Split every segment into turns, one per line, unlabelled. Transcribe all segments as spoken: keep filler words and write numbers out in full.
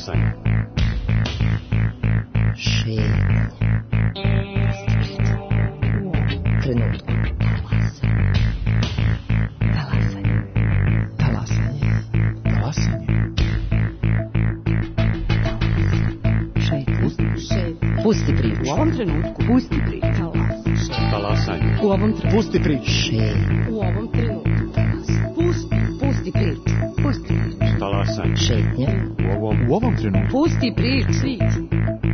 Talasanje.
Šetnja. Trenutku. Talasanje. Talasanje. Talasanje. Šetnja. Pusti priču.
U ovom trenutku.
Pusti priču.
Talasanje.
U ovom trenutku.
Pusti priču. Šetnja.
U ovom trenutku. Pusti. Pusti priču. Pusti priču.
Talasanje.
Šetnja.
U ovom, u ovom trenutku.
Pusti priču.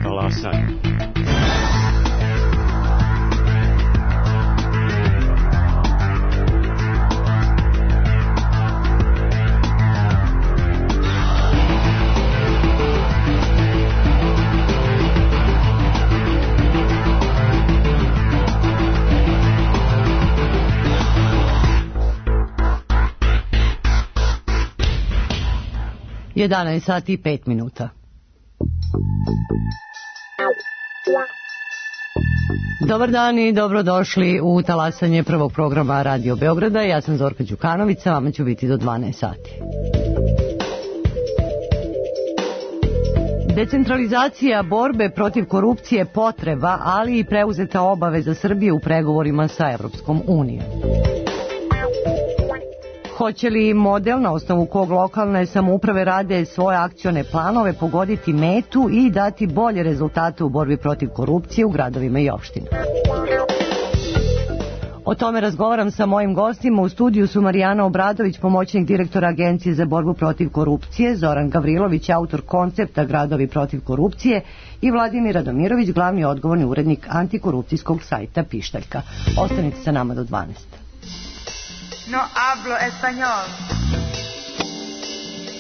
Talasanje.
jedanaest sati i pet minuta. Dobar dan i dobrodošli u talasanje prvog programa Radio Beograda. Ja sam Zorka Đukanović, vama ću biti do dvanaest sati. Decentralizacija borbe protiv korupcije je potreba, ali i preuzeta obaveza Srbije u pregovorima sa Evropskom unijom. Hoće li model na osnovu kog lokalne samouprave rade svoje akcione planove pogoditi metu i dati bolje rezultate u borbi protiv korupcije u gradovima i opštinama? O tome razgovaram sa mojim gostima. U studiju su Marijana Obradović, pomoćnik direktora Agencije za borbu protiv korupcije, Zoran Gavrilović, autor koncepta Gradovi protiv korupcije i Vladimir Radomirović, glavni odgovorni urednik antikorupcijskog sajta Pištaljka. Ostanite sa nama do dvanaest.
No hablo español.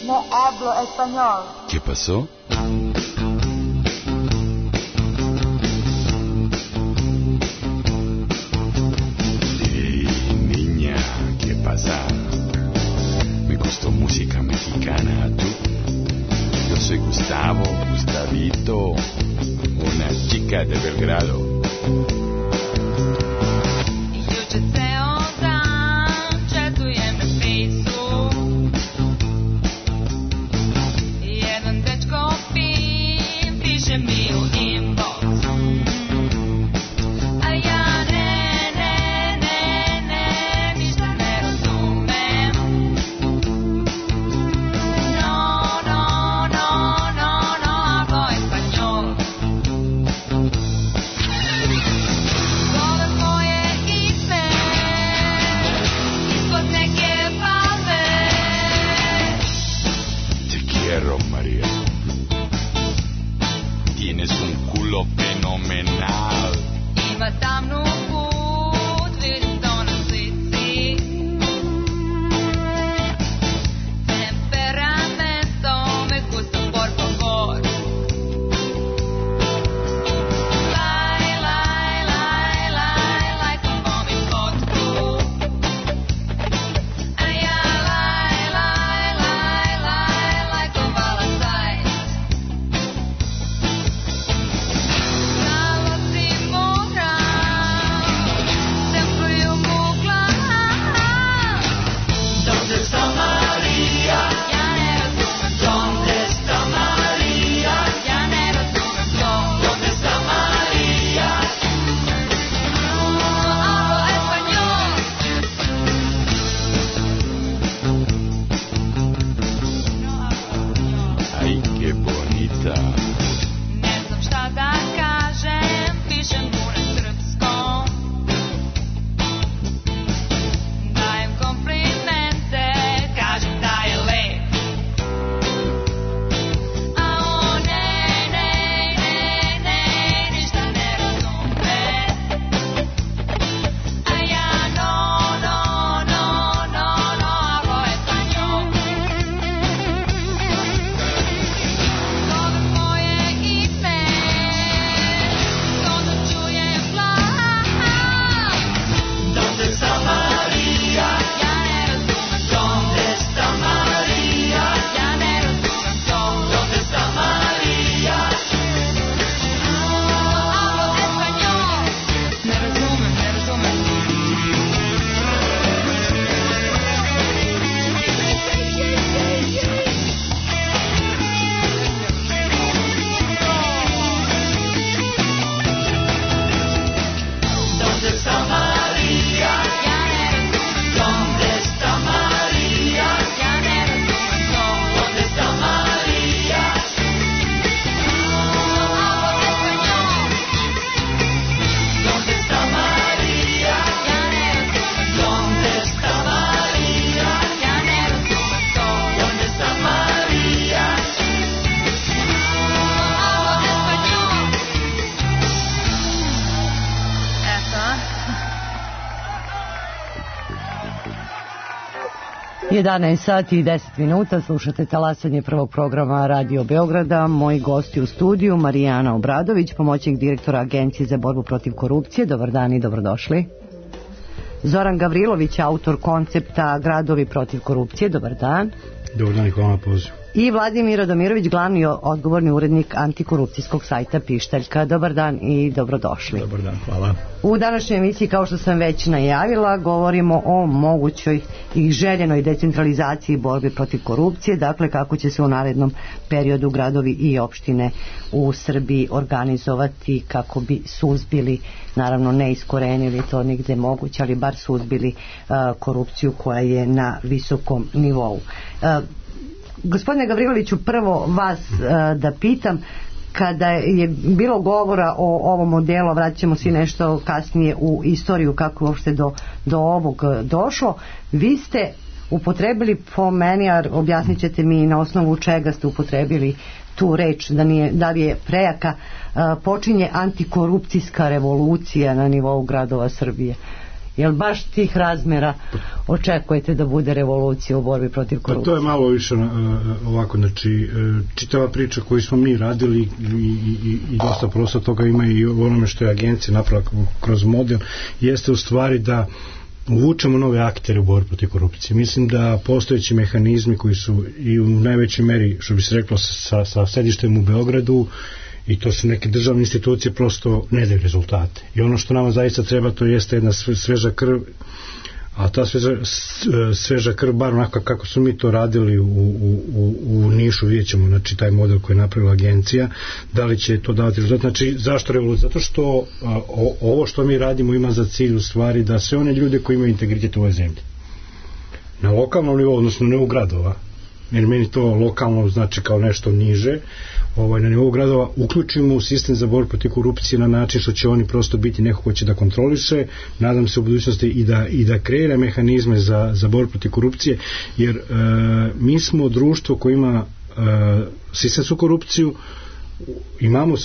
No hablo español.
¿Qué pasó? Hey, niña, ¿qué pasa? Me gustó música mexicana, ¿tú? Yo soy Gustavo, Gustavito, una chica de Belgrado.
jedanaest sati i deset minuta, slušate talasanje prvog programa Radio Beograda. Moji gosti u studiju, Marijana Obradović, pomoćnik direktora Agencije za borbu protiv korupcije. Dobar dan i dobrodošli. Zoran Gavrilović, autor koncepta Gradovi protiv korupcije. Dobar dan.
Dobar dan i hvala na pozivu.
I Vladimir Radomirović, glavni odgovorni urednik antikorupcijskog sajta Pištaljka. Dobar dan i dobrodošli.
Dobar dan, hvala.
U današnjoj emisiji, kao što sam već najavila, govorimo o mogućoj i željenoj decentralizaciji borbe protiv korupcije, dakle kako će se u narednom periodu gradovi i opštine u Srbiji organizovati kako bi suzbili, naravno ne iskorenili, to nigde moguće, ali bar suzbili uh, korupciju koja je na visokom nivou. Uh, Gospodine Gavriloviću, prvo vas uh, da pitam, kada je bilo govora o ovom modelu, vraćamo se nešto kasnije u istoriju kako uopšte do, do ovog došlo, vi ste upotrebili, po meni, a objasnit ćete mi na osnovu čega ste upotrebili tu reč, da, nije, da li je prejaka, uh, počinje antikorupcijska revolucija na nivou gradova Srbije. Jel baš tih razmera očekujete da bude revolucija u borbi protiv korupcije?
Pa to je malo više uh, ovako, znači uh, čitava priča koju smo mi radili i, i, i dosta prosto toga ima i u onome što je agencija napravila kroz model, jeste u stvari da uvučemo nove aktere u borbi protiv korupcije. Mislim da postojeći mehanizmi koji su i u najvećoj meri, što bi se reklo, sa, sa sedištem u Beogradu, i to su neke državne institucije, prosto ne daju rezultate. I ono što nama zaista treba, to jeste jedna sveža krv, a ta sveža, sveža krv, bar onako kako su mi to radili u, u, u, u Nišu, vidjet ćemo, znači taj model koji je napravila agencija, da li će to davati rezultat. Znači, zašto revolucija? Zato što a, o, ovo što mi radimo ima za cilj u stvari da sve one ljude koji imaju integritet u ovoj zemlji, na lokalnom nivou, odnosno ne u gradova, jer meni to lokalno znači kao nešto niže, ovaj, na nivou gradova, uključimo u sistem za borbu protiv korupcije na način što će oni prosto biti neko ko će da kontroliše, nadam se u budućnosti i da, i da kreira mehanizme za, za borbu protiv korupcije, jer e, mi smo društvo koje ima e, sistemsku korupciju, imamo e,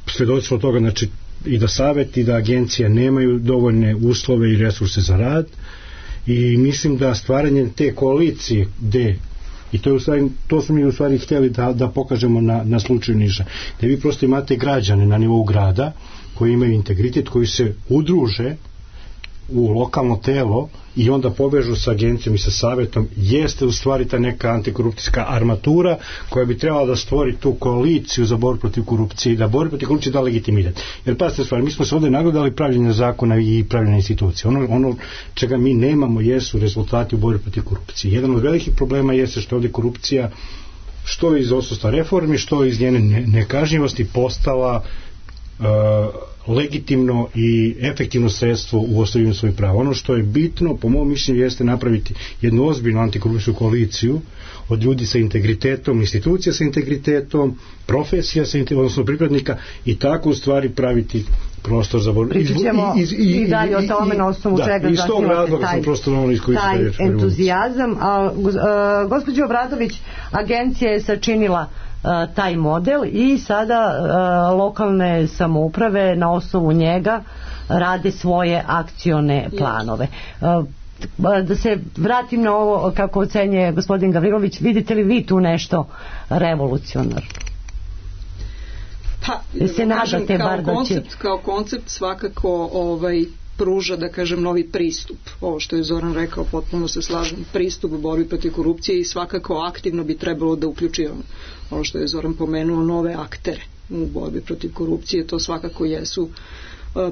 svedoci od toga, znači i da savjet i da agencija nemaju dovoljne uslove i resurse za rad, i mislim da stvaranje te koalicije gde, i to, je u stvari, to smo mi u stvari htjeli da, da pokažemo na, na slučaju Niša, da vi prosto imate građane na nivou grada koji imaju integritet, koji se udruže u lokalno telo i onda povežu sa agencijom i sa savjetom, jeste u stvari ta neka antikorupcijska armatura koja bi trebala da stvori tu koaliciju za borbu protiv korupcije i da borbu protiv korupcije da legitimitet. Jer pazite stvari, mi smo se ovdje nagledali pravljenja zakona i pravljenja institucije. Ono, ono čega mi nemamo jesu rezultati u borbi protiv korupcije. Jedan od velikih problema jeste što ovdje korupcija, što iz odsustva reformi, što iz njene nekažnjivosti postala uh, legitimno i efektivno sredstvo u ostvarivanju svojih prava. Ono što je bitno, po mom mišljenju, jeste napraviti jednu ozbiljnu antikorupcijsku koaliciju od ljudi sa integritetom, institucija sa integritetom, profesija sa integritetom, odnosno pripadnika, i tako u stvari praviti prostor za borbu.
Pričat ćemo i, i, i, i dalje o tome na osnovu čega
iz tog razloga sam prosto ono iskoristio
taj entuzijazam. A, uh, gospođo Obradović, agencija je sačinila Uh, taj model i sada uh, lokalne samouprave na osnovu njega rade svoje akcione planove. Uh, da se vratim na ovo kako ocenjuje gospodin Gavrilović, vidite li vi tu nešto revolucionarno?
Pa,
se nadate
kao
bar da
koncept,
će...
kao koncept svakako ovaj pruža, da kažem, novi pristup. Ovo što je Zoran rekao, potpuno se slažem, pristup u borbi protiv korupcije, i svakako aktivno bi trebalo da uključujemo, ovo što je Zoran pomenuo, nove aktere u borbi protiv korupcije. To svakako jesu uh,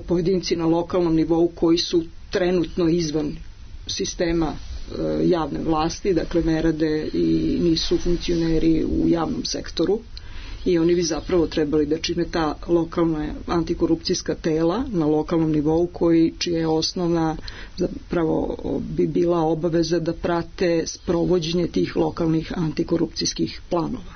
pojedinci na lokalnom nivou koji su trenutno izvan sistema uh, javne vlasti, dakle ne rade i nisu funkcioneri u javnom sektoru, i oni bi zapravo trebali da čine ta lokalna antikorupcijska tela na lokalnom nivou, koji, čija je osnovna zapravo bi bila obaveza da prate sprovođenje tih lokalnih antikorupcijskih planova.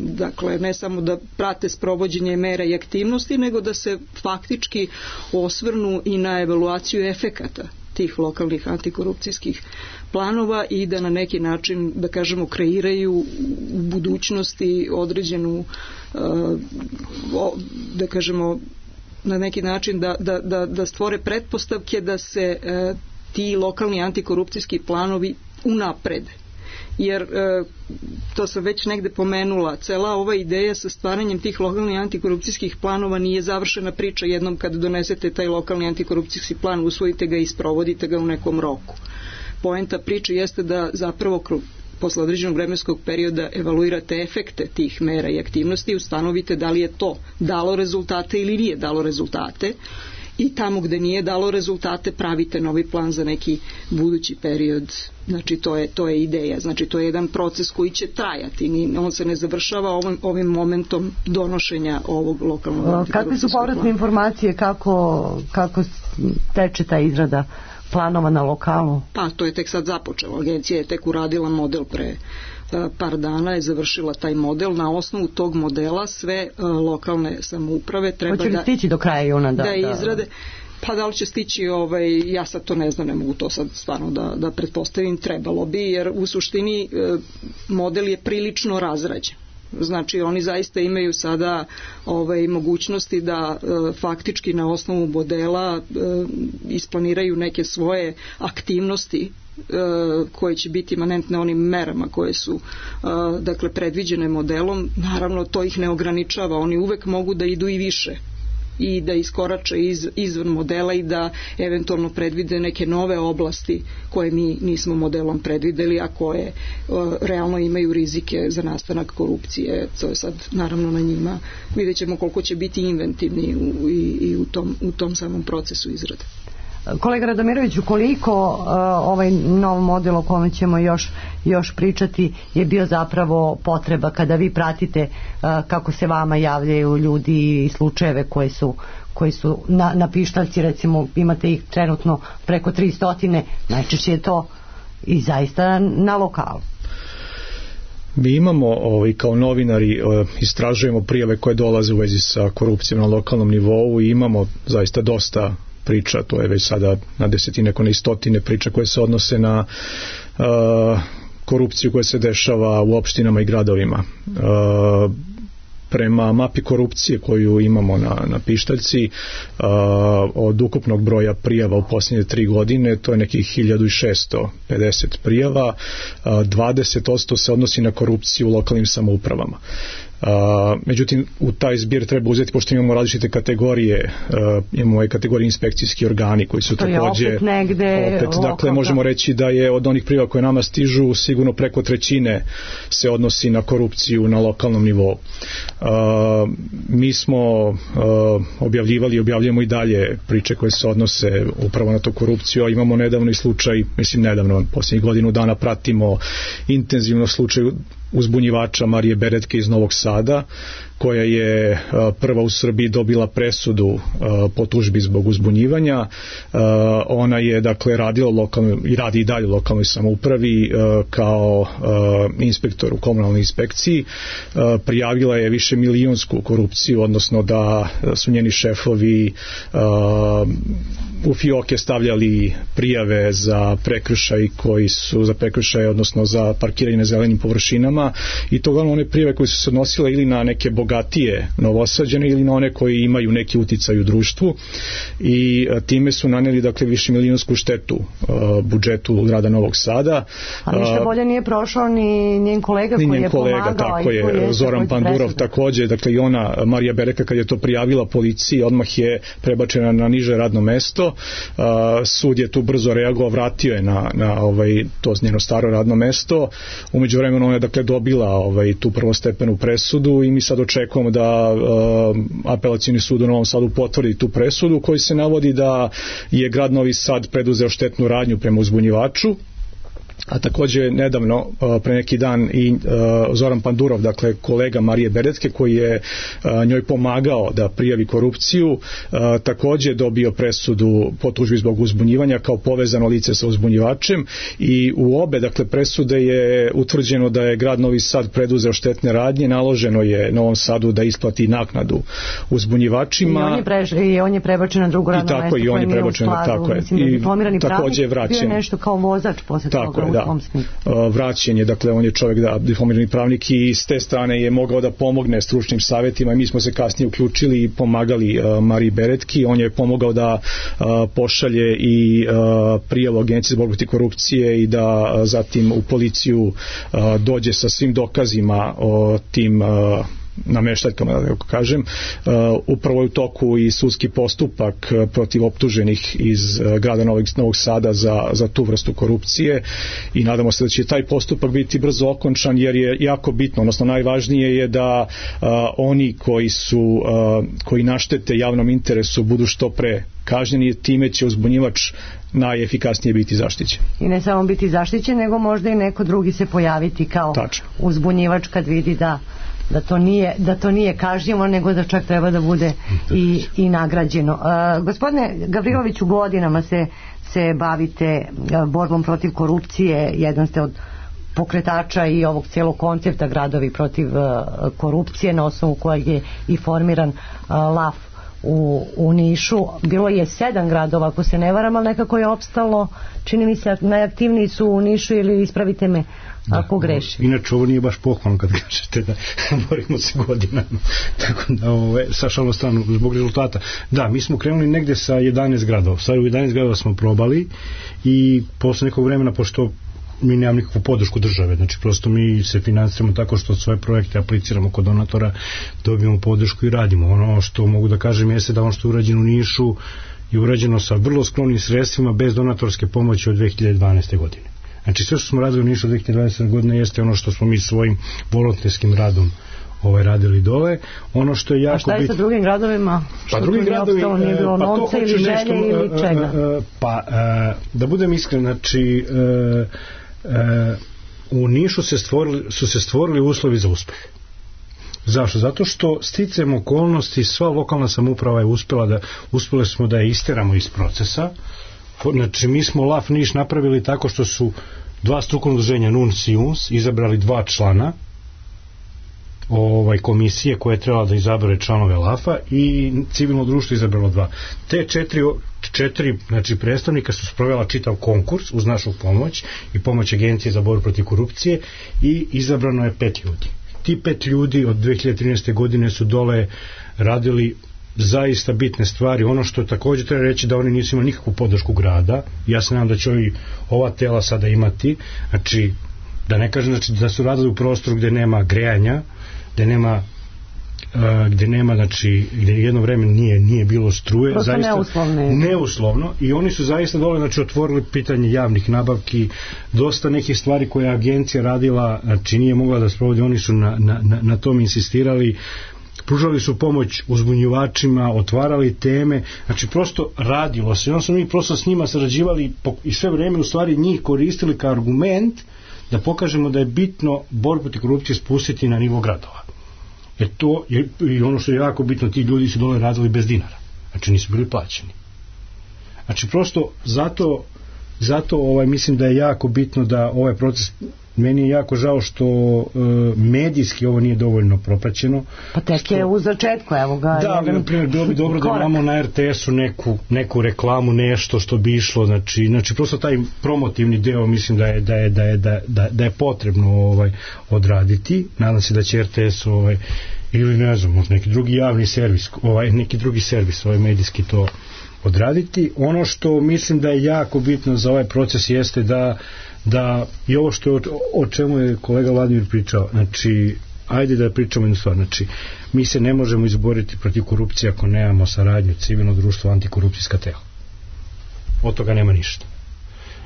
Dakle, ne samo da prate sprovođenje mera i aktivnosti, nego da se faktički osvrnu i na evaluaciju efekata tih lokalnih antikorupcijskih planova i da na neki način, da kažemo, kreiraju u budućnosti određenu, da kažemo, na neki način da, da, da, da stvore pretpostavke da se ti lokalni antikorupcijski planovi unapred. Jer, e, to sam već negde pomenula, cela ova ideja sa stvaranjem tih lokalnih antikorupcijskih planova nije završena priča jednom kad donesete taj lokalni antikorupcijski plan, usvojite ga i sprovodite ga u nekom roku. Poenta priče jeste da zapravo posle određenog vremenskog perioda evaluirate efekte tih mera i aktivnosti i ustanovite da li je to dalo rezultate ili nije dalo rezultate, i tamo gde nije dalo rezultate pravite novi plan za neki budući period. Znači to je, to je ideja, znači to je jedan proces koji će trajati, on se ne završava ovim, ovim momentom donošenja ovog lokalnog antikorupcijskog plana.
Kakve su povratne informacije, kako, kako teče ta izrada planova na lokalu?
Pa to je tek sad započelo, agencija je tek uradila model pre par dana, je završila taj model. Na osnovu tog modela sve uh, lokalne samouprave treba
Hoće li
da,
stići do kraja juna da,
da izrade. Pa da li će stići, ovaj, ja sad to ne znam, ne mogu to sad stvarno da, da pretpostavim, trebalo bi, jer u suštini uh, model je prilično razrađen. Znači oni zaista imaju sada ovaj, mogućnosti da e, faktički na osnovu modela e, isplaniraju neke svoje aktivnosti e, koje će biti imanentne onim merama koje su e, dakle predviđene modelom. Naravno to ih ne ograničava, oni uvek mogu da idu i više i da iskorače iz, izvan modela i da eventualno predvide neke nove oblasti koje mi nismo modelom predvideli, a koje uh, realno imaju rizike za nastanak korupcije. To je sad naravno na njima. Vidjet ćemo koliko će biti inventivni u, i, i u, tom, u tom samom procesu izrade.
Kolega Radomiroviću, koliko uh, ovaj nov model o kome ćemo još, još pričati je bio zapravo potreba kada vi pratite uh, kako se vama javljaju ljudi i slučajeve koji su, koji su na, na pištaljci, recimo imate ih trenutno preko tristo, najčešće je to i zaista na lokalu.
Mi imamo ovaj, kao novinari istražujemo prijave koje dolaze u vezi sa korupcijom na lokalnom nivou i imamo zaista dosta priča, to je već sada na desetine, ako ne i stotine priča koje se odnose na uh, korupciju koja se dešava u opštinama i gradovima. Uh, prema mapi korupcije koju imamo na, na pištaljci, uh, od ukupnog broja prijava u posljednje tri godine, to je nekih hiljadu šesto pedeset prijava, uh, dvadeset posto se odnosi na korupciju u lokalnim samoupravama. Uh, međutim u taj zbir treba uzeti, pošto imamo različite kategorije, uh, imamo ovaj kategorije inspekcijski organi koji su
to
takođe
opet negde
opet, dakle
lokalno.
Možemo reći da je od onih prijava koje nama stižu sigurno preko trećine se odnosi na korupciju na lokalnom nivou. Uh, mi smo uh, objavljivali i objavljujemo i dalje priče koje se odnose upravo na to korupciju, a imamo nedavno i slučaj, mislim nedavno, posljednjih godinu dana pratimo intenzivno slučaj uzbunjivača Marije Beretke iz Novog Sada, koja je prva u Srbiji dobila presudu po tužbi zbog uzbunjivanja. Ona je dakle radila lokalno i radi i dalje u lokalnoj samoupravi kao inspektor u komunalnoj inspekciji. Prijavila je više milionsku korupciju, odnosno da su njeni šefovi u fioke stavljali prijave za prekršaj koji su za prekršaje, odnosno za parkiranje na zelenim površinama, i to glavno one prijave koje su se odnosile ili na neke bogatije Novosađane ili na one koji imaju neki uticaj u društvu, i time su naneli dakle više milionsku štetu uh, budžetu grada Novog Sada.
A ništa bolje nije prošao ni njen kolega
ni
koji
njen
je
kolega,
pomagao.
Tako je, je Zoran Pandurov takođe, dakle i ona, Marija Bereka, kad je to prijavila policiji, odmah je prebačena na niže radno mesto. Uh, sud je tu brzo reagovao, vratio je na, na ovaj, to njeno staro radno mesto. Umeđu vremenu ona je dakle dobila ovaj, tu prvostepenu presudu i mi sad očekujemo da uh, apelacioni sud u Novom Sadu potvrdi tu presudu u kojoj se navodi da je grad Novi Sad preduzeo štetnu radnju prema uzbunjivaču. A takođe nedavno, pre neki dan, i Zoran Pandurov, dakle kolega Marije Beretke, koji je njoj pomagao da prijavi korupciju, takođe dobio presudu po tužbi zbog uzbunjivanja kao povezano lice sa uzbunjivačem, i u obe dakle presude je utvrđeno da je grad Novi Sad preduzeo štetne radnje, naloženo je Novom Sadu da isplati naknadu uzbunjivačima.
I on je, preš, i on je prebačen na drugo radno mesto.
I on je prebačen, tako je.
Mislim, da je diplomirani pravnik,
bio
je nešto kao vozač posle toga. u tom smislu.
Vraćen je, dakle on je čovjek da diplomirani pravnik i s te strane je mogao da pomogne stručnim savjetima i mi smo se kasnije uključili i pomagali uh, Mariji Beretki. On je pomogao da uh, pošalje i uh, prijavu Agencije za borbu protiv korupcije i da uh, zatim u policiju uh, dođe sa svim dokazima o tim uh, nameštaljkama, da tako kažem. Uh, upravo je u toku i sudski postupak uh, protiv optuženih iz uh, grada Novog, Novog Sada za, za tu vrstu korupcije i nadamo se da će taj postupak biti brzo okončan jer je jako bitno, odnosno najvažnije je da uh, oni koji su uh, koji naštete javnom interesu budu što pre kažnjeni, time će uzbunjivač najefikasnije biti zaštićen.
I ne samo biti zaštićen, nego možda i neko drugi se pojaviti kao Tačno. uzbunjivač kad vidi da da to nije, da to nije kažnjivo, nego da čak treba da bude i, i nagrađeno. Uh, gospodine Gavriloviću, godinama se, se bavite uh, borbom protiv korupcije, jedan ste od pokretača i ovog cijelog koncepta gradovi protiv uh, korupcije, na osnovu kojeg je i formiran uh, LAF u, u Nišu. Bilo je sedam gradova, ako se ne varam, ali nekako je opstalo, čini mi se, najaktivniji su u Nišu, ili ispravite me da, ako grešim.
Inače ovo nije baš pohvalno kad kažete da borimo se godinama. Tako da, ove, sa šalno stranu, zbog rezultata. Da, mi smo krenuli negde sa jedanaest gradova. Sad u jedanaest gradova smo probali i posle nekog vremena, pošto mi nemam nikakvu podršku države, znači prosto mi se finansiramo tako što svoje projekte apliciramo kod donatora, dobijemo podršku i radimo. Ono što mogu da kažem jeste da ono što je urađeno u Nišu je urađeno sa vrlo skromnim sredstvima bez donatorske pomoći od dve hiljade dvanaeste. godine. Znači sve što smo radili u Nišu od dve hiljade dvanaeste. godine jeste ono što smo mi svojim volonterskim radom ovaj radili dole. Ono što je jako
A šta je sa drugim gradovima?
Pa drugim gradovima
nije bilo novca ili želje ili čega?
Pa da budem iskren, znači u Nišu se stvorili, su se stvorili uslovi za uspeh. Zašto? Zato što sticajem okolnosti sva lokalna samouprava je uspela da, uspeli smo da je isteramo iz procesa. Znači mi smo LAF Niš napravili tako što su dva strukovna udruženja N U N S i U N S izabrali dva člana ovaj komisije koja je trebala da izabere članove LAF-a i civilno društvo izabralo dva. Te četiri, četiri znači predstavnika su sprovela čitav konkurs uz našu pomoć i pomoć Agencije za borbu protiv korupcije i izabrano je pet ljudi. Ti pet ljudi od dve hiljade trinaeste. godine su dole radili zaista bitne stvari. Ono što također treba reći da oni nisu imali nikakvu podršku grada. Ja se nadam da će ovi, ova tela sada imati, znači da ne kažem znači, da su radili u prostoru gde nema grejanja, gde nema uh, gde nema, znači, gde jedno vreme nije, nije bilo struje.
Prosto
zaista,
neuslovne.
Neuslovno. I oni su zaista dole, znači, otvorili pitanje javnih nabavki, dosta nekih stvari koje je agencija radila, znači nije mogla da sprovodi, oni su na, na, na, na tom insistirali, pružali su pomoć uzbunjivačima, otvarali teme, znači prosto radilo se. Onda smo mi prosto s njima sarađivali i sve vreme u stvari njih koristili kao argument da pokažemo da je bitno borbu protiv korupcije spustiti na nivo gradova. Jer to je, i ono što je jako bitno, ti ljudi su dole radili bez dinara. Znači nisu bili plaćeni. Znači prosto zato, zato ovaj, mislim da je jako bitno da ovaj proces, meni je jako žao što e, medijski ovo nije dovoljno propraćeno.
Pa tek što, je u začetku, evo ga.
Da, ali na primjer bilo bi dobro korak. Da imamo na R T S-u neku, neku reklamu, nešto što bi išlo, znači, znači prosto taj promotivni deo mislim da je, da je, da je, da, da, da je potrebno ovaj, odraditi. Nadam se da će R T S ovaj, ili ne znam, možda neki drugi javni servis, ovaj, neki drugi servis ovaj medijski to odraditi. Ono što mislim da je jako bitno za ovaj proces jeste da da i ovo što o, o čemu je kolega Vladimir pričao, znači ajde da pričamo jednu stvar, znači mi se ne možemo izboriti protiv korupcije ako nemamo saradnju civilno društvo, antikorupcijska tela. Od toga nema ništa.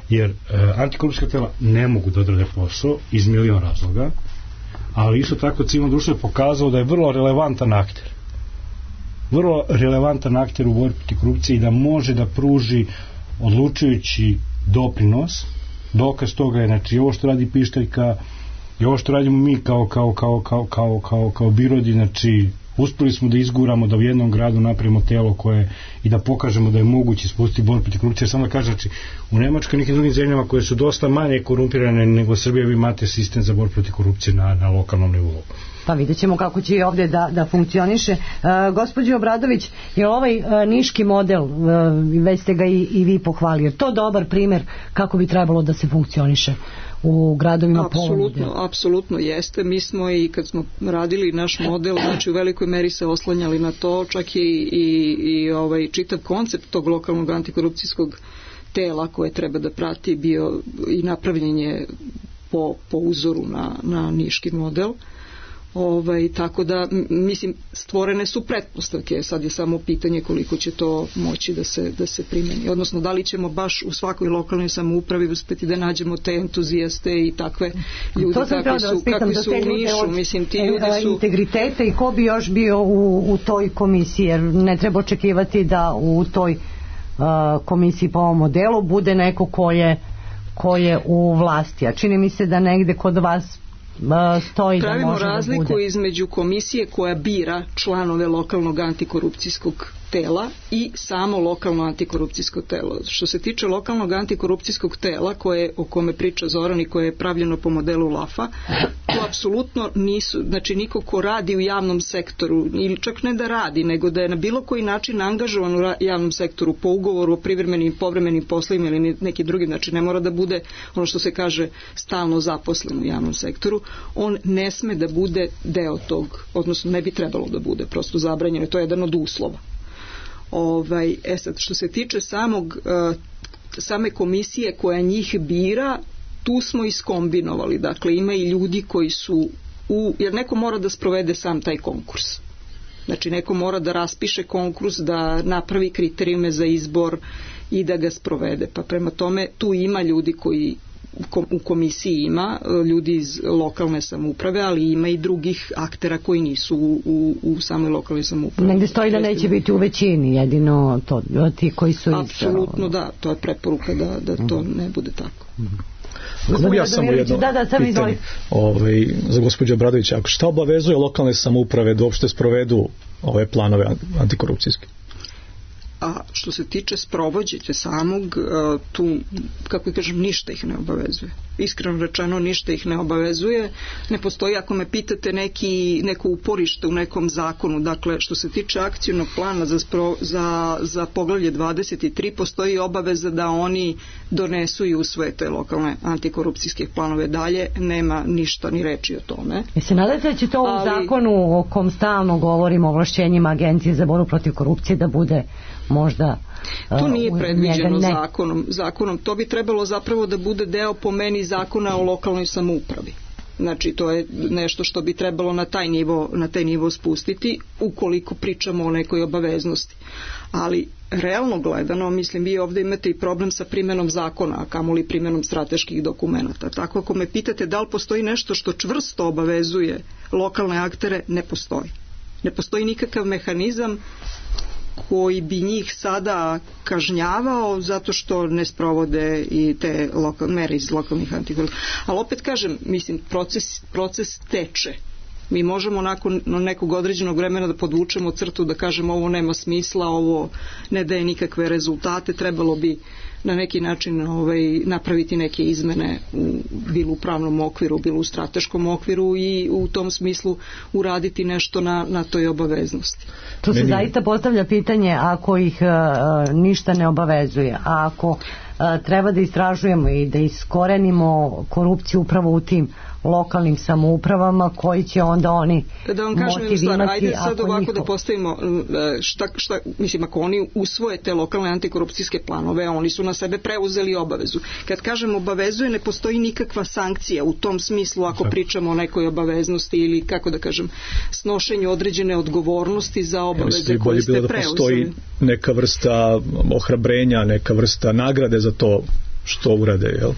Jer e, antikorupcijska tela ne mogu da odrade posao iz milion razloga, ali isto tako civilno društvo je pokazalo da je vrlo relevantan akter. Vrlo relevantan akter u borbi protiv korupcije i da može da pruži odlučujući doprinos. Dokaz toga je, znači, ovo što radi Pištaljka i ovo što radimo mi kao, kao, kao, kao, kao, kao, kao birodi, znači, uspeli smo da izguramo da u jednom gradu napravimo telo koje i da pokažemo da je moguće spustiti borbu protiv korupcije. Samo da kažem, znači, u Nemačkoj i nekim drugim zemljama koje su dosta manje korumpirane nego Srbija, vi imate sistem za borbu protiv korupcije na, na lokalnom nivou.
Pa vidjet ćemo kako će i ovdje da, da funkcioniše. E, gospođo Obradović, je ovaj e, niški model, e, već ste ga i, i vi pohvalili, je to dobar primjer kako bi trebalo da se funkcioniše u gradovima po ovom modelu?
Apsolutno jeste. Mi smo i kad smo radili naš model, znači u velikoj meri se oslanjali na to, čak je i, i, i ovaj čitav koncept tog lokalnog antikorupcijskog tela koje treba da prati bio i napravljen je po, po uzoru na, na niški model. Ovaj, tako da, mislim, stvorene su pretpostavke, sad je samo pitanje koliko će to moći da se, da se primeni. Odnosno, da li ćemo baš u svakoj lokalnoj samoupravi uspeti da nađemo te entuzijaste i takve ljude kakvi su, kakvi su u Nišu. Mislim, ti ljudi su...
integriteta i ko bi još bio u, u toj komisiji, jer ne treba očekivati da u toj uh, komisiji po ovom modelu bude neko ko je, ko je u vlasti. A čini mi se da negde kod vas stoji da
pravimo
može
razliku
da bude.
Između komisije koja bira članove lokalnog antikorupcijskog tela i samo lokalno antikorupcijsko telo. Što se tiče lokalnog antikorupcijskog tela koje, o kome priča Zoran i koje je pravljeno po modelu LAFA, to apsolutno nisu, znači niko ko radi u javnom sektoru, ili čak ne da radi, nego da je na bilo koji način angažovan u javnom sektoru po ugovoru o privremenim i povremenim poslovima ili neki drugi, znači ne mora da bude ono što se kaže stalno zaposlen u javnom sektoru, on ne sme da bude deo tog, odnosno ne bi trebalo da bude, prosto zabranjeno, to je jedan od uslova. Ovaj, e sad, što se tiče samog, uh, same komisije koja njih bira, tu smo iskombinovali, dakle ima i ljudi koji su u, jer neko mora da sprovede sam taj konkurs. Znači neko mora da raspiše konkurs, da napravi kriterijume za izbor i da ga sprovede. Pa prema tome tu ima ljudi koji u komisiji ima ljudi iz lokalne samouprave, ali ima i drugih aktera koji nisu u, u, u samoj lokalnoj samoupravi.
Negde stoji da neće biti u većini, jedino to, ti koji su...
Apsolutno da, to je preporuka da, da to ne bude tako.
Mogu ja samo jedno
da, da, sam
pitanje ovaj, za gospođu Obradovića. Šta obavezuje lokalne samouprave da uopšte sprovedu ove planove antikorupcijske?
A što se tiče sprovođenja samog, tu, kako kažem, ništa ih ne obavezuje. Iskreno rečeno, ništa ih ne obavezuje. Ne postoji, ako me pitate, neki, neko uporište u nekom zakonu. Dakle, što se tiče akcijnog plana za, spro, za, za poglavlje dvadeset tri, postoji obaveza da oni donesu i usvoje te lokalne antikorupcijske planove. Dalje nema ništa ni reči o tome.
I se nadate da će to u
Ali,
zakonu o kom stalno govorimo, o ovlašćenjima Agencije za borbu protiv korupcije, da bude možda...
To nije predviđeno
ne.
zakonom. zakonom. To bi trebalo zapravo da bude deo po meni zakona o lokalnoj samoupravi. Znači to je nešto što bi trebalo na taj nivo, na taj nivo spustiti ukoliko pričamo o nekoj obaveznosti. Ali realno gledano, mislim, vi ovdje imate i problem sa primenom zakona, a kamoli primenom strateških dokumenata. Tako ako me pitate da li postoji nešto što čvrsto obavezuje lokalne aktere, ne postoji. Ne postoji nikakav mehanizam koji bi njih sada kažnjavao zato što ne sprovode i te lokal, mere iz lokalnih antikorupcija. Ali opet kažem, mislim, proces, proces teče. Mi možemo nakon nekog određenog vremena da podvučemo crtu, da kažemo ovo nema smisla, ovo ne daje nikakve rezultate, trebalo bi na neki način ovaj, napraviti neke izmene u, bilo u pravnom okviru, bilo u strateškom okviru i u tom smislu uraditi nešto na, na toj obaveznosti.
Tu se Meni... zaista postavlja pitanje ako ih uh, ništa ne obavezuje, a ako uh, treba da istražujemo i da iskorenimo korupciju upravo u tim lokalnim samoupravama, koji će onda oni
da vam kažem jednu stvar, ajde sad ovako
njihov...
da postavimo šta, šta, mislim, ako oni usvoje te lokalne antikorupcijske planove, oni su na sebe preuzeli obavezu. Kad kažem obavezuje, ne postoji nikakva sankcija u tom smislu ako pričamo o nekoj obaveznosti ili, kako da kažem, snošenju određene odgovornosti za obaveze koje ste preuzeli. Da
postoji neka vrsta ohrabrenja, neka vrsta nagrade za to što urade, jel?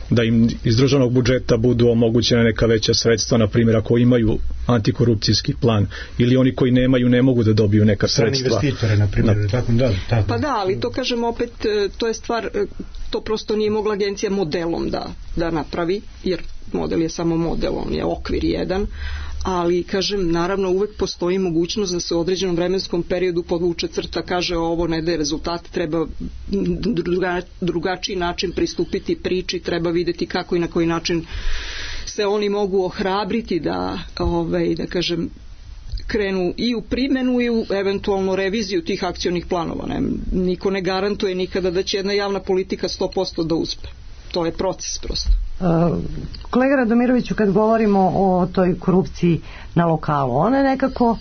Da im iz državnog budžeta budu omogućene neka veća sredstva, na primjer ako imaju antikorupcijski plan, ili oni koji nemaju ne mogu da dobiju neka sredstva.
Investitore, na primjer. Na... Tako, da, tako.
Pa da, ali to kažem opet, to je stvar, to prosto nije mogla agencija modelom da, da napravi, jer model je samo model, on je okvir jedan, ali kažem, naravno uvek postoji mogućnost da se u određenom vremenskom periodu podvuče crta, kaže ovo ne daje rezultate, treba druga, drugačiji način pristupiti priči, treba videti kako i na koji način se oni mogu ohrabriti da, ovaj, da kažem, krenu i u primjenu i u eventualno reviziju tih akcionih planova. Ne, niko ne garantuje nikada da će jedna javna politika sto posto da uspe. To je proces prosto.
Uh, kolega Radomiroviću, kad govorimo o toj korupciji na lokalu, ona nekako uh,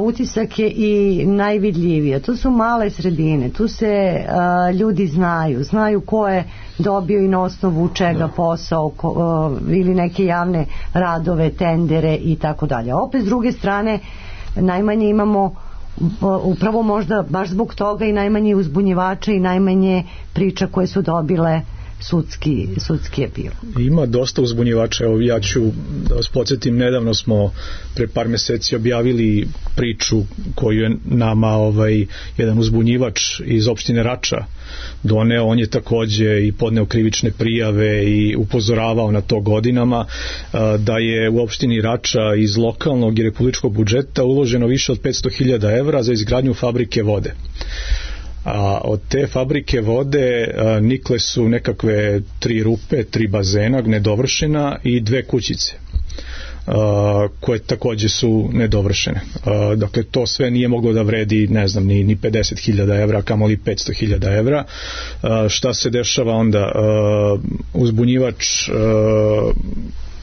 utisak je i najvidljivija. To su male sredine, tu se uh, ljudi znaju, znaju ko je dobio i na osnovu čega posao ko, uh, ili neke javne radove, tendere i tako dalje. Opet s druge strane najmanje imamo uh, upravo možda baš zbog toga i najmanje uzbunjivača i najmanje priča koje su dobile sudski, sudski epilog.
Ima dosta uzbunjivača. Evo, ja ću da vas podsjetim, nedavno smo pre par meseci objavili priču koju je nama ovaj, jedan uzbunjivač iz opštine Rača doneo. On je takođe i podneo krivične prijave i upozoravao na to godinama, da je u opštini Rača iz lokalnog i republičkog budžeta uloženo više od petsto hiljada evra za izgradnju fabrike vode. A od te fabrike vode a, nikle su nekakve tri rupe, tri bazena nedovršena i dve kućice a, koje takođe su nedovršene. A, dakle, to sve nije moglo da vredi, ne znam, ni, ni pedeset hiljada evra, kamoli petsto hiljada evra. A, šta se dešava onda? A, uzbunjivač a,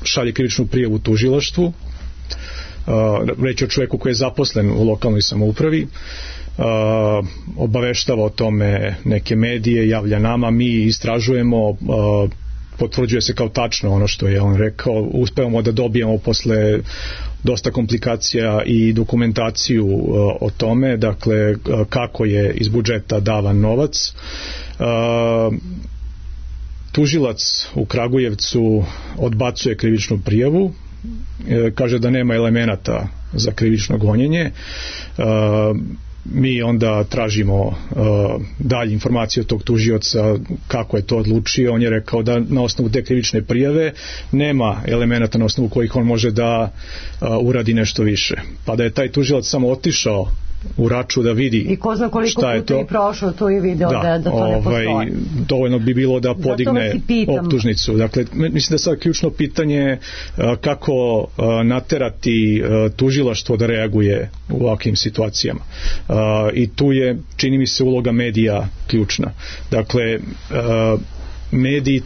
šalje krivičnu prijavu tužilaštvu. A, reći o čoveku koji je zaposlen u lokalnoj samoupravi. Uh, obaveštava o tome neke medije, javlja nama, mi istražujemo, uh, potvrđuje se kao tačno ono što je on rekao, uspevamo da dobijemo posle dosta komplikacija i dokumentaciju uh, o tome, dakle uh, kako je iz budžeta davan novac. Uh, tužilac u Kragujevcu odbacuje krivičnu prijavu, uh, kaže da nema elemenata za krivično gonjenje. Uh, mi onda tražimo uh, dalje informacije od tog tužioca kako je to odlučio. On je rekao da na osnovu te krivične prijave nema elemenata na osnovu kojih on može da uh, uradi nešto više. Pa da je taj tužilac samo otišao u Raču da vidi
i ko zna koliko
šta je to
i prošlo to i video da, da, da to ne
ovaj,
postoji.
Dovoljno bi bilo da podigne optužnicu. Dakle, mislim da sad ključno pitanje kako naterati tužilaštvo da reaguje u ovakvim situacijama. I tu je, čini mi se, uloga medija ključna. Dakle, mediji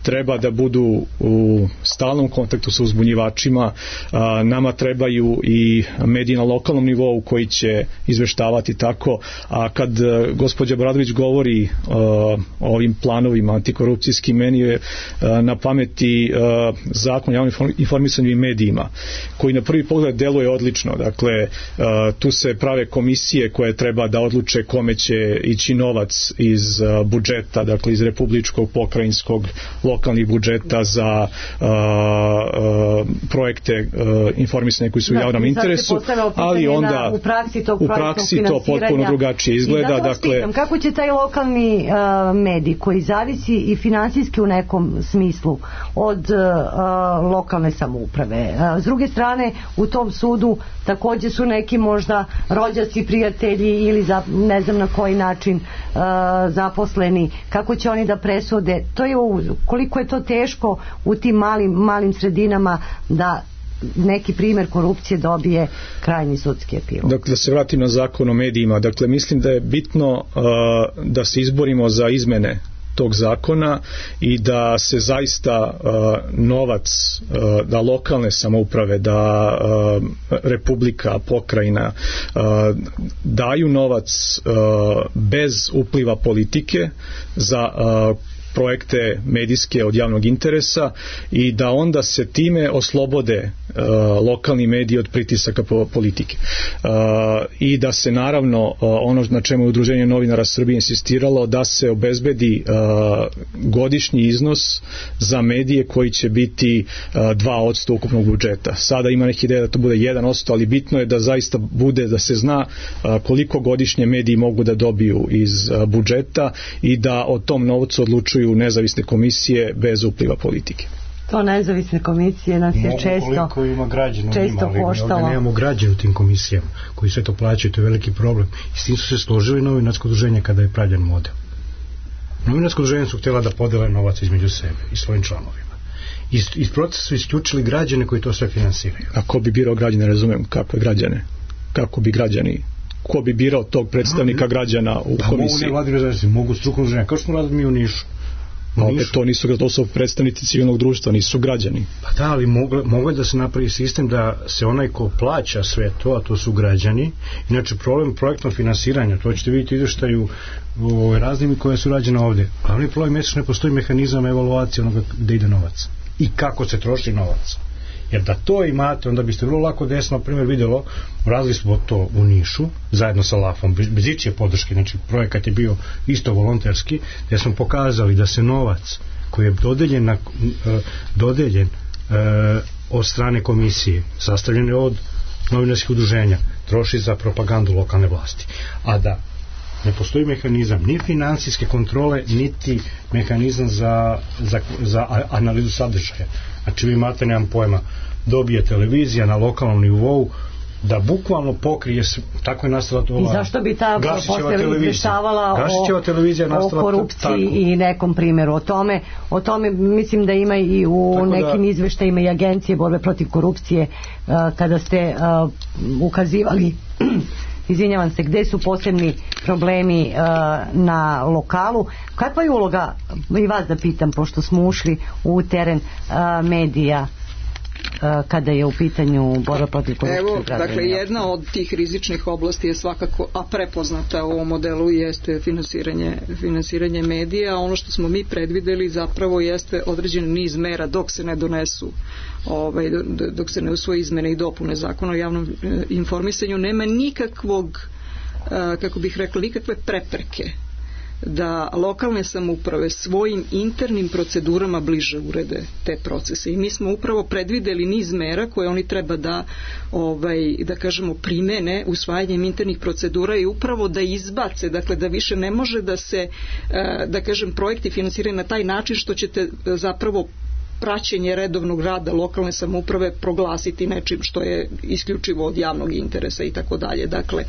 treba da budu u stalnom kontaktu sa uzbunjivačima. A, nama trebaju i mediji na lokalnom nivou koji će izveštavati tako, a kad a, gospođa Bradović govori a, o ovim planovima antikorupcijskim, meni je a, na pameti a, zakon o javnom informisanju i medijima koji na prvi pogled deluje odlično. Dakle, a, tu se prave komisije koje treba da odluče kome će ići novac iz a, budžeta, dakle iz republičkog, pokrajinskog, lokalnih budžeta za uh, uh, projekte uh, informisanja koji su u da, javnom interesu, ali onda
u praksi, tog
u praksi to potpuno drugačije izgleda.
I
dakle,
pitam, kako će taj lokalni uh, medij koji zavisi i finansijski u nekom smislu od uh, lokalne samouprave. Uh, s druge strane, u tom sudu takođe su neki možda rođaci, prijatelji ili za, ne znam na koji način uh, zaposleni. Kako će oni da presude? To je koliko je to teško u tim malim, malim sredinama da neki primjer korupcije dobije krajnji sudski epilog.
Dakle, da se vratim na zakon o medijima. Dakle, mislim da je bitno uh, da se izborimo za izmene tog zakona i da se zaista uh, novac uh, da lokalne samouprave, da uh, republika, pokrajina uh, daju novac uh, bez upliva politike za uh, projekte medijske od javnog interesa i da onda se time oslobode uh, lokalni mediji od pritisaka po, politike. Uh, I da se naravno uh, ono na čemu je Udruženje novinara Srbije insistiralo, da se obezbedi uh, godišnji iznos za medije koji će biti uh, dva posto ukupnog budžeta. Sada ima neki ideja da to bude jedan posto, ali bitno je da zaista bude, da se zna uh, koliko godišnje mediji mogu da dobiju iz uh, budžeta i da o tom novcu odlučuju nezavisne komisije bez upliva politike.
To nezavisne komisije nas je često
koliko ima građana
često
njima,
koštalo.
Ovdje nemamo građana u tim komisijama koji sve to plaćaju, to je veliki problem. I s tim su se složili novinarsko udruženje kada je pravljen model. Novinarsko udruženje su htjela da podele novac između sebe i svojim članovima. iz, iz procesa su isključili građane koji to sve finansiraju.
A ko bi birao građane, razumem, kakve građane? Kako bi građani, ko bi birao tog predstavnika građana u
pa
komisiji?
Mogu nevladine organizacije, mogu strukovno udruženja, kao što smo radili mi u Nišu.
A opet to nisu, to su predstavnici civilnog društva, nisu građani.
Pa da, ali mogu, mogu da se napravi sistem da se onaj ko plaća sve to, a to su građani. Inače, problem projektnog finansiranja, to ćete vidjeti izveštaju o raznimi koje su rađene ovde. Glavni problem je što ne postoji mehanizam evaluacije onoga gde ide novac i kako se troši novac. Jer da to imate, onda biste vrlo lako desno, na primjer, vidjelo, radili smo to u Nišu, zajedno sa Lafom, bez ičije podrške, znači projekat je bio isto volonterski, gdje smo pokazali da se novac koji je dodeljen, na, dodeljen e, od strane komisije, sastavljen je od novinarskih udruženja, troši za propagandu lokalne vlasti. A da ne postoji mehanizam ni finansijske kontrole, niti mehanizam za, za, za analizu sadržaja. Znači vi imate, nemam pojma, dobije televizija na lokalnom nivou da bukvalno pokrije, tako je nastala to ova
i zašto bi ta posle izveštavala o, o korupciji tako. I nekom primjeru o tome, o tome mislim da ima i u tako nekim da, izveštajima i agencije borbe protiv korupcije uh, kada ste uh, ukazivali izvinjavam se, gde su posebni problemi uh, na lokalu. Kakva je uloga, i vas da pitam, pošto smo ušli u teren uh, medija uh, kada je u pitanju borba protiv korupcije?
Evo, dakle, jedna od tih rizičnih oblasti je svakako, a prepoznata u ovom modelu, jeste finansiranje, finansiranje medija. Ono što smo mi predvideli zapravo jeste određen niz mera dok se ne donesu Ovaj, dok se ne usvoje izmene i dopune zakona o javnom e, informisanju, nema nikakvog, e, kako bih rekla, nikakve prepreke da lokalne samouprave svojim internim procedurama bliže urede te procese. I mi smo upravo predvideli niz mera koje oni treba da, ovaj, da kažemo, primene usvajanjem internih procedura i upravo da izbace, dakle da više ne može da se, e, da kažem, projekti finansiraju na taj način što ćete zapravo praćenje redovnog rada lokalne samouprave proglasiti nečim što je isključivo od javnog interesa i tako dalje. Dakle,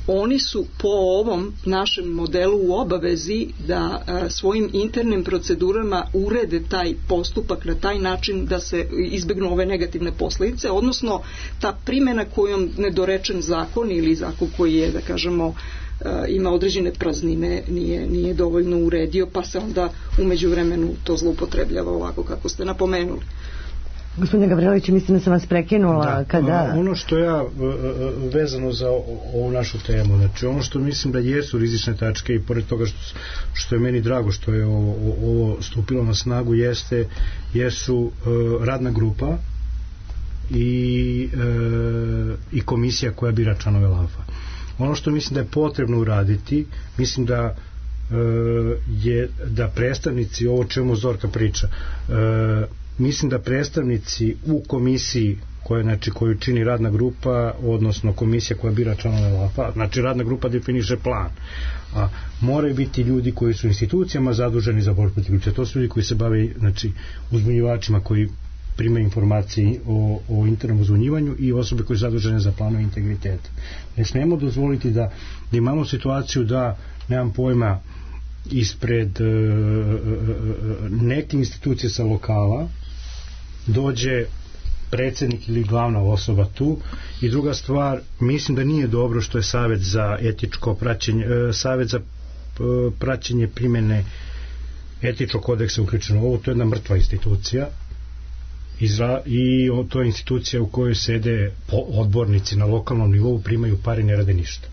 oni su po ovom našem modelu u obavezi da a, svojim internim procedurama urede taj postupak na taj način da se izbegnu ove negativne posljedice, odnosno ta primjena kojom nedorečen zakon ili zakon koji je, da kažemo, ima određene praznine, nije, nije dovoljno uredio, pa se onda u međuvremenu to zloupotrebljava ovako kako ste napomenuli.
Gospodine Gavrilović, mislim da sam vas prekinula.
Da,
kada...
ono što ja vezano za ovu našu temu, znači ono što mislim da jesu rizične tačke i pored toga što, što je meni drago što je ovo, ovo stupilo na snagu, jeste, jesu uh, radna grupa i, uh, i komisija koja bira članove Lafa. Ono što mislim da je potrebno uraditi, mislim da e, je da predstavnici, ovo čemu Zorka priča, e, mislim da predstavnici u komisiji koja, znači, koju čini radna grupa, odnosno komisija koja bira članove Lafa, znači radna grupa definiše plan, a moraju biti ljudi koji su institucijama zaduženi za borbu protiv korupcije. To su ljudi koji se bave, znači, uzbunjivačima koji primaju informacije o, o internom uzbunjivanju i osobe koje su zadužene za planove integriteta. Ne smemo dozvoliti da, da imamo situaciju da, nemam pojma, ispred e, neke institucije sa lokala dođe predsjednik ili glavna osoba tu. I druga stvar, mislim da nije dobro što je savjet za etičko praćenje, e, savjet za e, praćenje primjene etičkog kodeksa uključeno. Ovo to je jedna mrtva institucija. Izra, i to je institucija u kojoj sede odbornici na lokalnom nivou, primaju pare i ne rade ništa.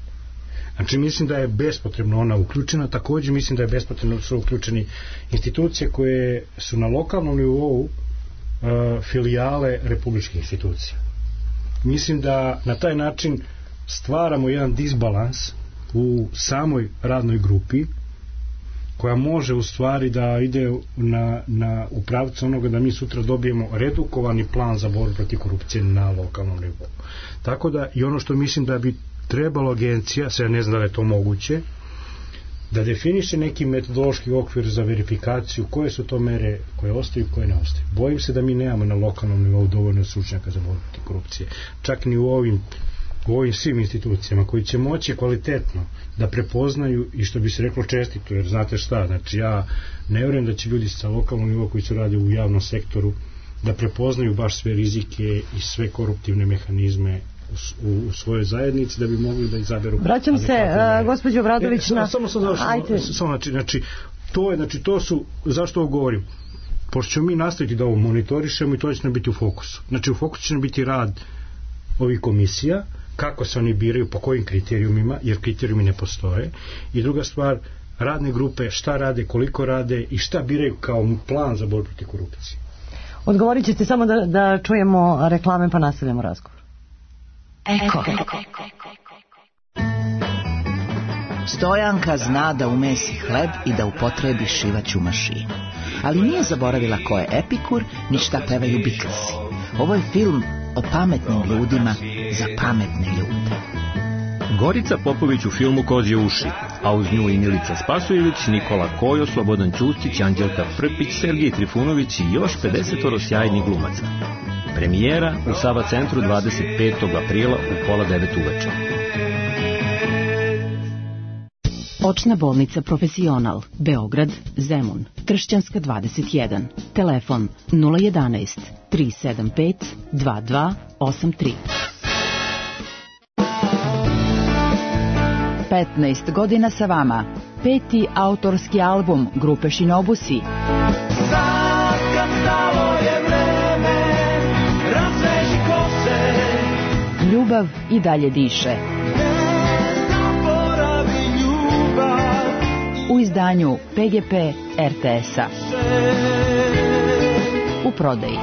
Znači mislim da je bespotrebno ona uključena. Također mislim da je bespotrebno su uključeni institucije koje su na lokalnom nivou uh, filijale republičkih institucija. Mislim da na taj način stvaramo jedan disbalans u samoj radnoj grupi koja može u stvari da ide na, na u pravcu onoga da mi sutra dobijemo redukovani plan za borbu protiv korupcije na lokalnom nivou. Tako da i ono što mislim da bi trebalo agencija, sve ne znam da je to moguće, da definiše neki metodološki okvir za verifikaciju koje su to mere koje ostaju i koje ne ostaju. Bojim se da mi nemamo na lokalnom nivou dovoljno stručnjaka za borbu protiv korupcije. Čak ni u ovim u ovim svim institucijama koji će moći kvalitetno da prepoznaju i što bi se reklo čestito, jer znate šta, znači ja ne vjerujem da će ljudi sa lokalnog nivoa koji se radi u javnom sektoru da prepoznaju baš sve rizike i sve koruptivne mehanizme u, u, u svojoj zajednici da bi mogli da izaberu.
Vraćam se, uh, gospođo Obradović, na...
Samo sam završeno, samo znači, znači, to je, znači, to su, zašto ovo govorim? Pošto ćemo mi nastaviti da ovo monitorišemo i to će nam biti u fokusu. Znači, u fokusu će nam biti rad ovih komisija, kako se oni biraju, po kojim kriterijumima, jer kriterijumi ne postoje. I druga stvar, radne grupe, šta rade, koliko rade i šta biraju kao plan za borbu protiv korupcije.
Odgovorit ćete samo da, da čujemo reklame pa nastavljamo razgovor.
Eko. Stojanka zna da umesi hleb i da upotrebi šivaću mašinu. Ali nije zaboravila ko je Epikur, ni šta pevaju Beatlesi. Ovo je film o pametnim ljudima za pametne ljude.
Gorica Popović u filmu Kozje uši, a uz nju i Milica Spasojević, Nikola Kojo, Slobodan Ćustić, Anđelka Frpić, Sergij Trifunović i još pedesetoro sjajnih glumaca. Premijera u Sava centru dvadeset petog aprila u pola devet uveče.
Očna bolnica Profesional, Beograd, Zemun, Kršćanska dvadeset jedan, telefon nula jedanaest tri sedam pet dva dva osam tri.
petnaest godina sa vama, peti autorski album grupe Šinobusi.
Sad kad stalo je vreme, razveži kose,
Ljubav i dalje diše. U izdanju P G P R T S-a. U prodaji.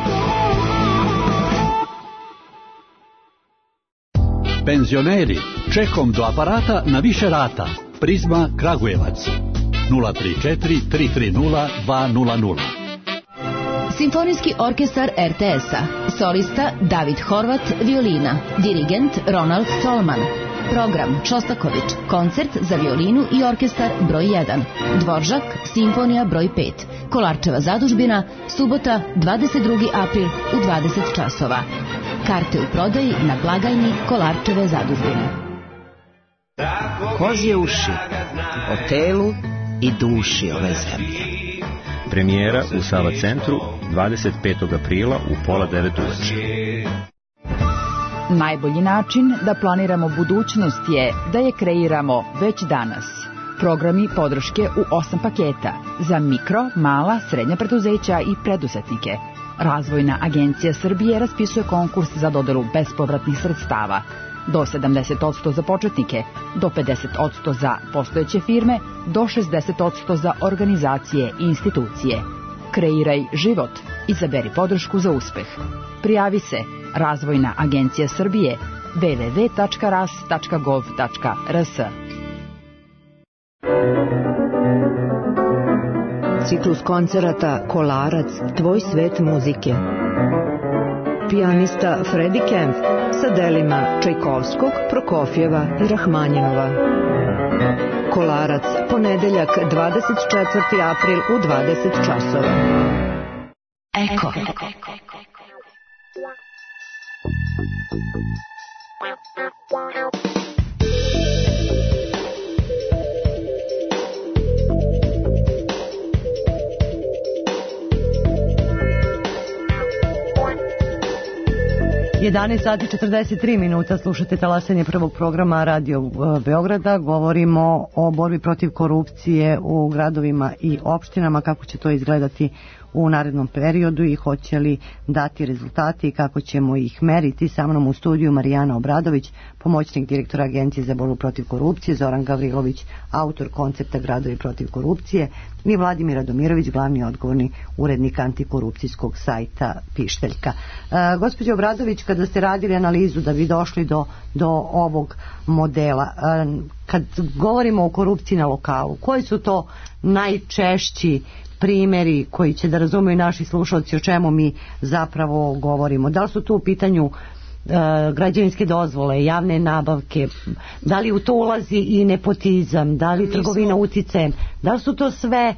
Penzioneri, čekom do aparata na više rata. Prizma Kragujevac. nula tri četiri tri tri nula dva nula nula.
Simfonijski orkestar R T S-a. Solista David Horvat, violina. Dirigent Ronald Stolman. Program Čostaković, koncert za violinu i orkestar broj jedan. Dvoržak, simfonija broj pet. Kolarčeva zadužbina, subota dvadeset drugi april u dvadeset časova. Karte u prodaji na blagajni Kolarčeve zadužbine.
Kozje uši, o telu i duši ove zemlje.
Premijera u Sava centru dvadeset petog aprila u pola devet uveče.
Najbolji način da planiramo budućnost je da je kreiramo već danas. Programi podrške u osam paketa za mikro, mala, srednja preduzeća i preduzetnike. Razvojna agencija Srbije raspisuje konkurs za dodelu bespovratnih sredstava. Do sedamdeset posto za početnike, do pedeset posto za postojeće firme, do šezdeset posto za organizacije i institucije. Kreiraj život. Izaberi podršku za uspeh. Prijavi se Razvojna agencija Srbije w w w tačka ras tačka gov tačka r s.
Ciklus koncerata Kolarac, tvoj svet muzike. Pijanista Freddie Kemp sa delima Čajkovskog, Prokofjeva i Rahmanjinova. Kolarac, ponedeljak dvadeset četvrti april u dvadeset časova.
Eko.
jedanaest sati četrdeset tri minuta, slušate talasanje prvog programa Radio Beograda. Govorimo o borbi protiv korupcije u gradovima i opštinama, kako će to izgledati u narednom periodu i hoće li dati rezultati i kako ćemo ih meriti. Sa mnom u studiju Marijana Obradović, pomoćnik direktora Agencije za borbu protiv korupcije, Zoran Gavrilović, autor koncepta Gradovi protiv korupcije, i Vladimir Radomirović, glavni odgovorni urednik antikorupcijskog sajta Pišteljka. E, gospođo Obradović, kada ste radili analizu da bi došli do, do ovog modela, e, kad govorimo o korupciji na lokalu, koji su to najčešći primjeri koji će da razumeju naši slušalci o čemu mi zapravo govorimo? Da li su tu u pitanju e, građevinske dozvole, javne nabavke, da li u to ulazi i nepotizam, da li trgovina uticajem, da li su to sve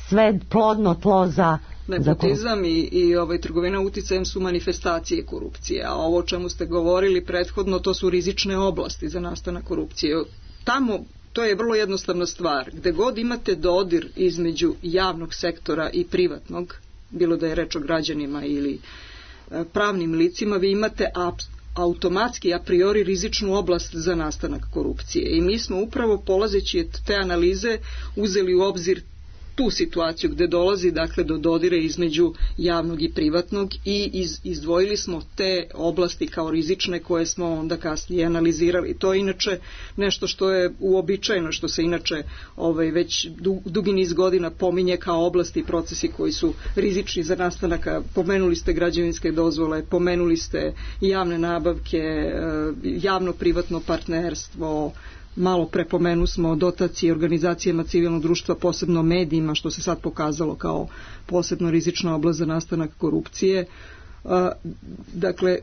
sve plodno tlo za
Nepotizam i, i ovaj, trgovina uticajem su manifestacije korupcije, a ovo o čemu ste govorili prethodno, to su rizične oblasti za nastanak korupcije. Tamo to je vrlo jednostavna stvar. Gde god imate dodir između javnog sektora i privatnog, bilo da je reč o građanima ili e, pravnim licima, vi imate automatski a priori rizičnu oblast za nastanak korupcije. I mi smo upravo polazeći od te analize uzeli u obzir tu situaciju gde dolazi dakle do dodira između javnog i privatnog i iz, izdvojili smo te oblasti kao rizične koje smo onda kasnije analizirali. To je inače nešto što je uobičajeno, što se inače ovaj, već du, dugi niz godina pominje kao oblasti i procesi koji su rizični za nastanak. Pomenuli ste građevinske dozvole, pomenuli ste javne nabavke, javno-privatno partnerstvo, malo prepomenu smo dotacije organizacijama civilnog društva, posebno medijima, što se sad pokazalo kao posebno rizična oblast za nastanak korupcije. Dakle,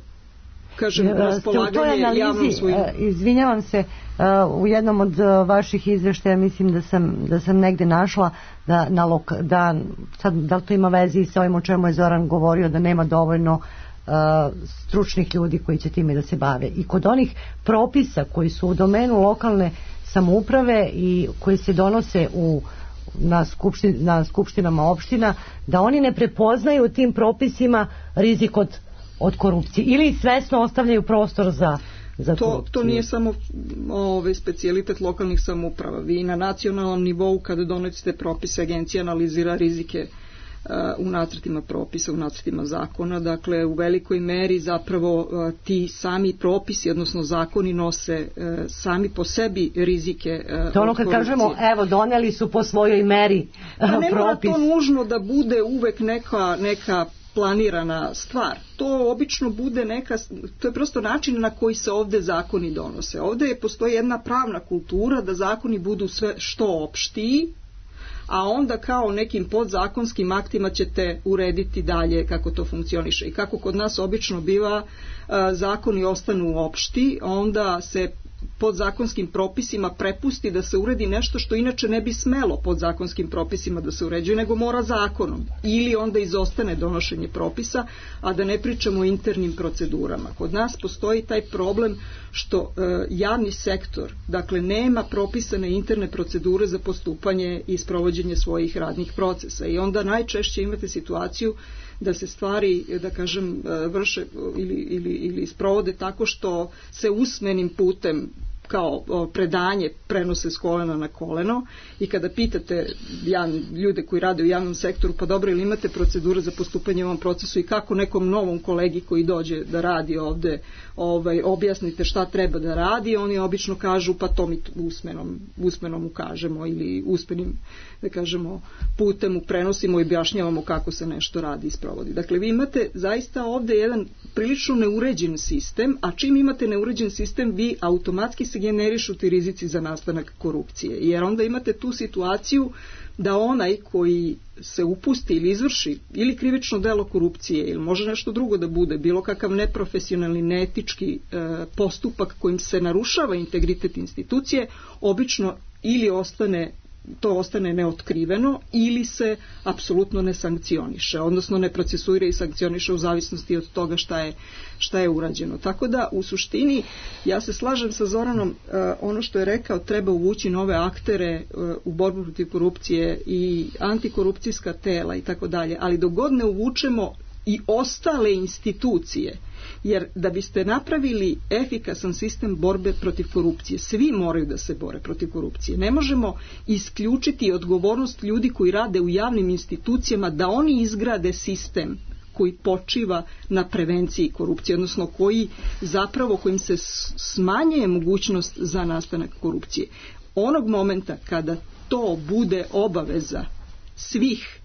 kažem, raspolaganje javnom svojim...
Izvinjavam se, u jednom od vaših izveštaja mislim da sam, da sam negde našla da, na lok, da, sad, da li to ima veze i sa ovim o čemu je Zoran govorio, da nema dovoljno Uh, stručnih ljudi koji će time da se bave. I kod onih propisa koji su u domenu lokalne samouprave i koji se donose u, na, skupštin, na skupštinama opština, da oni ne prepoznaju tim propisima rizik od, od korupcije ili svesno ostavljaju prostor za za
to, to nije samo ovaj specijalitet lokalnih samouprava. Vi na nacionalnom nivou kada donosite propise, agencija analizira rizike u nacrtima propisa, u nacrtima zakona, dakle u velikoj meri zapravo ti sami propisi, odnosno zakoni nose sami po sebi rizike.
To ono kad kažemo, evo doneli su po svojoj meri
pa
propis.
Ne mora to nužno da bude uvek neka, neka planirana stvar. To obično bude neka, to je prosto način na koji se ovde zakoni donose. Ovde je postoji jedna pravna kultura da zakoni budu sve što opštiji, a onda kao nekim podzakonskim aktima ćete urediti dalje kako to funkcioniše. I kako kod nas obično biva, zakoni ostanu opšti, onda se podzakonskim propisima prepusti da se uredi nešto što inače ne bi smelo podzakonskim propisima da se uređuje, nego mora zakonom. Ili onda izostane donošenje propisa, a da ne pričamo o internim procedurama. Kod nas postoji taj problem što e, javni sektor, dakle, nema propisane interne procedure za postupanje i sprovođenje svojih radnih procesa. I onda najčešće imate situaciju da se stvari, da kažem, vrše ili, ili, ili sprovode tako što se usmenim putem kao predanje prenose s kolena na koleno i kada pitate javne, ljude koji rade u javnom sektoru, pa dobro, ili imate procedure za postupanje u ovom procesu i kako nekom novom kolegi koji dođe da radi ovde ovaj, objasnite šta treba da radi, oni obično kažu pa to mi usmenom, usmenom ukažemo ili usmenim, da kažemo, putem mu prenosimo i objašnjavamo kako se nešto radi i sprovodi. Dakle, vi imate zaista ovde jedan prilično neuređen sistem, a čim imate neuređen sistem, vi automatski se generišu ti rizici za nastanak korupcije. Jer onda imate tu situaciju da onaj koji se upusti ili izvrši ili krivično delo korupcije ili može nešto drugo da bude, bilo kakav neprofesionalni, neetički e, postupak kojim se narušava integritet institucije, obično ili ostane to ostane neotkriveno ili se apsolutno ne sankcioniše, odnosno ne procesuira i sankcioniše u zavisnosti od toga šta je, šta je urađeno. Tako da u suštini ja se slažem sa Zoranom, ono što je rekao, treba uvući nove aktere u borbu protiv korupcije i antikorupcijska tela i tako dalje, ali dok god ne uvučemo i ostale institucije, jer da biste napravili efikasan sistem borbe protiv korupcije, svi moraju da se bore protiv korupcije. Ne možemo isključiti odgovornost ljudi koji rade u javnim institucijama da oni izgrade sistem koji počiva na prevenciji korupcije, odnosno koji zapravo, kojim se smanjuje mogućnost za nastanak korupcije. Onog momenta kada to bude obaveza svih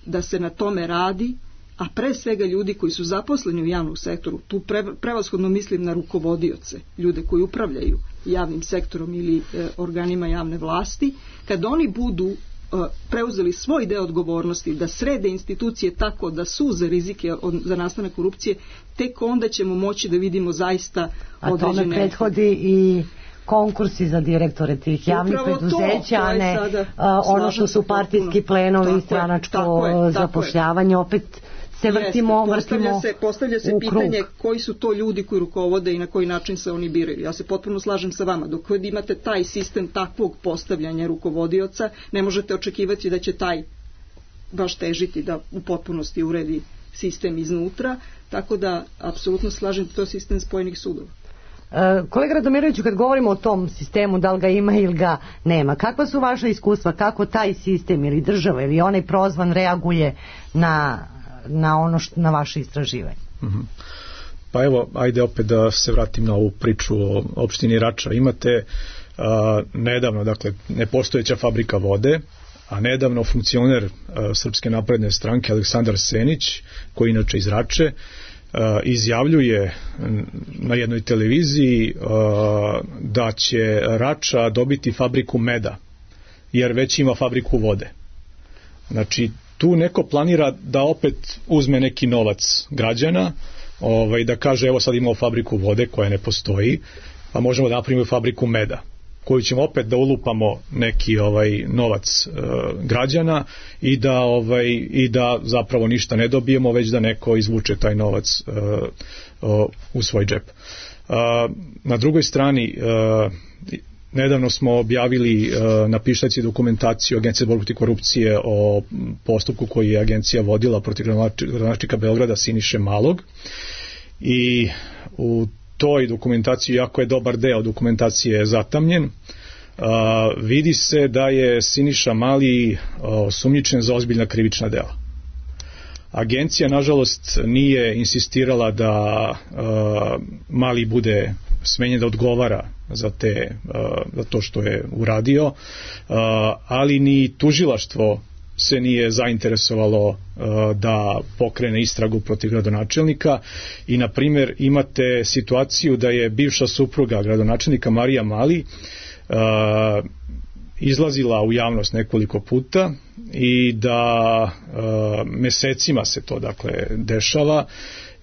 da se na tome radi, a pre svega ljudi koji su zaposleni u javnom sektoru, tu pre, prevashodno mislim na rukovodioce, ljude koji upravljaju javnim sektorom ili e, organima javne vlasti, kad oni budu e, preuzeli svoj deo odgovornosti da srede institucije tako da suze rizike od, za nastanak korupcije, tek onda ćemo moći da vidimo zaista određene...
A tome prethodi i konkursi za direktore tih javnih
Upravo
preduzeća,
to, to
a ne
sada,
a, ono što su partijski plenovi i stranačko zapošljavanje, opet se vrtimo,
Jeste, postavlja
vrtimo
se, postavlja se
u
pitanje
krug.
koji su to ljudi koji rukovode i na koji način se oni biraju. Ja se potpuno slažem sa vama. Dok god imate taj sistem takvog postavljanja rukovodioca, ne možete očekivati da će taj baš težiti da u potpunosti uredi sistem iznutra, tako da apsolutno slažem da to je sistem spojenih sudova.
Kolega Radomiroviću, kad govorimo o tom sistemu, da li ga ima ili ga nema, kakva su vaša iskustva, kako taj sistem ili država ili onaj prozvan reaguje na, na ono što, na vaše istraživanje?
Mm-hmm. Pa evo, ajde opet da se vratim na ovu priču o opštini Rača. Imate a, nedavno, dakle, nepostojeća fabrika vode, a nedavno funkcioner a, Srpske napredne stranke Aleksandar Senić, koji inače iz Rače, izjavljuje na jednoj televiziji da će Rača dobiti fabriku meda, jer već ima fabriku vode. Znači, tu neko planira da opet uzme neki novac građana, ovaj, da kaže evo sad imamo fabriku vode koja ne postoji, pa možemo da napravimo fabriku meda, koju ćemo opet da ulupamo neki ovaj novac e, građana i da ovaj i da zapravo ništa ne dobijemo, već da neko izvuče taj novac e, o, u svoj džep. E, na drugoj strani e, nedavno smo objavili e, na pištaci dokumentaciju Agencije za borbu protiv korupcije o postupku koji je agencija vodila protiv gradonačelnika Beograda Siniše Malog, i u toj dokumentaciji, jako je dobar deo dokumentacije zatamnjen, uh, vidi se da je Siniša Mali uh, osumnjičen za ozbiljna krivična dela. Agencija, nažalost, nije insistirala da uh, Mali bude smenjen, da odgovara za, te, uh, za to što je uradio, uh, ali ni tužilaštvo se nije zainteresovalo uh, da pokrene istragu protiv gradonačelnika i, na primjer, imate situaciju da je bivša supruga gradonačelnika Marija Mali uh, izlazila u javnost nekoliko puta i da uh, mesecima se to, dakle, dešava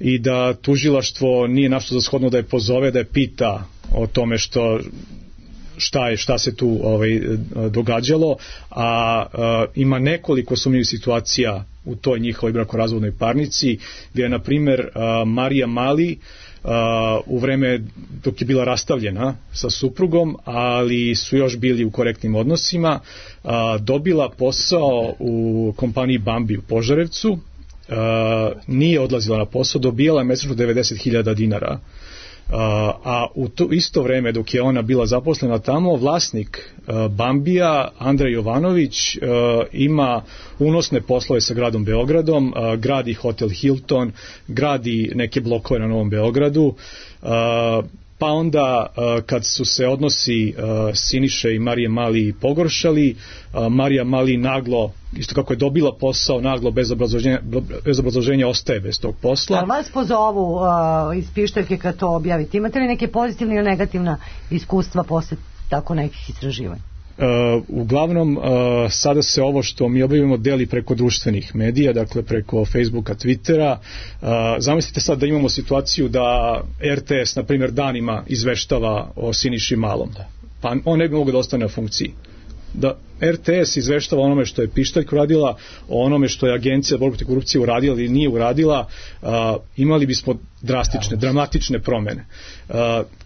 i da tužilaštvo nije našlo za shodno da je pozove, da je pita o tome što šta je, šta se tu ovaj, događalo, a, a ima nekoliko sumnjivih situacija u toj njihovoj brakorazvodnoj parnici, gdje je, na primjer, a, Marija Mali a, u vreme dok je bila rastavljena sa suprugom, ali su još bili u korektnim odnosima, a, dobila posao u kompaniji Bambi u Požarevcu, a, nije odlazila na posao, dobijala je mesečno devedeset hiljada dinara. Uh, a u to isto vreme dok je ona bila zaposlena tamo, vlasnik uh, Bambija, Andrej Jovanović, uh, ima unosne poslove sa gradom Beogradom, uh, gradi hotel Hilton, gradi neke blokove na Novom Beogradu, uh, pa onda uh, kad su se odnosi uh, Siniše i Marije Mali pogoršali, uh, Marija Mali naglo, isto kako je dobila posao, naglo bez obrazloženja, bez obrazloženja ostaje bez tog posla.
Ali vas pozovu uh, iz pištaljke kad to objavite, imate li neke pozitivne ili negativna iskustva posle tako nekih istraživanja?
Uh, uglavnom uh, sada se ovo što mi objavimo deli preko društvenih medija, dakle preko Facebooka, Twittera. Uh, zamislite sad da imamo situaciju da R T S, na primjer, danima izveštava o Siniši Malom, pa on ne bi mogao da ostane na funkciji. Da R T S izveštava onome što je pištaljka uradila, o onome što je Agencija za borbu protiv korupcije uradila ili nije uradila, uh, imali bismo drastične, dramatične promene. Uh,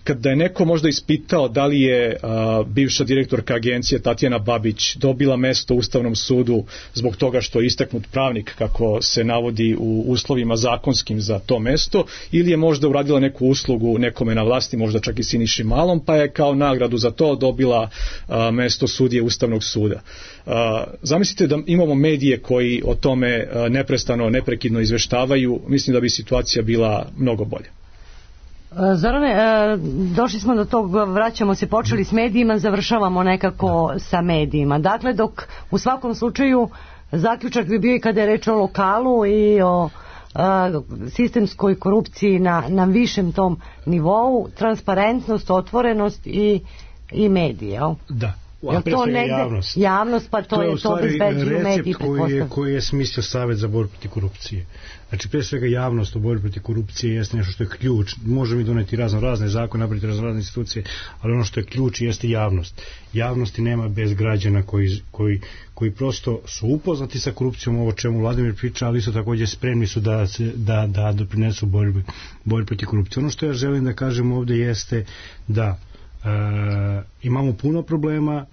kada je neko možda ispitao da li je uh, bivša direktorka agencije Tatjana Babić dobila mesto u Ustavnom sudu zbog toga što je istaknut pravnik, kako se navodi u uslovima zakonskim za to mesto, ili je možda uradila neku uslugu nekome na vlasti, možda čak i Siniši Malom, pa je kao nagradu za to dobila uh, mesto sudije Ustavnog suda. Uh, zamislite da imamo medije koji o tome uh, neprestano, neprekidno izveštavaju, mislim da bi situacija bila mnogo bolja.
Zorane, došli smo do tog, vraćamo se, počeli s medijima, završavamo nekako sa medijima. Dakle, dok u svakom slučaju zaključak bi bio i kada je reč o lokalu i o a, sistemskoj korupciji na, na višem tom nivou, transparentnost, otvorenost i, i medije.
Da. A pre svega javnost.
Javnost, pa to, to je to bezbeđuju mediji.
To je u stvari recept koji je smislio Savet za borbu protiv korupcije. Znači, pre svega javnost u borbi protiv korupcije jeste nešto što je ključ. Možemo mi doneti razno razne zakone, napraviti razno razne institucije, ali ono što je ključ jeste javnost. Javnosti nema bez građana koji, koji, koji prosto su upoznati sa korupcijom, ovo čemu Vladimir priča, ali isto takođe spremni su da, da, da doprinesu borbi, borbi protiv korupcije. Ono što ja želim da kažem ovde jeste da e, imamo puno problema.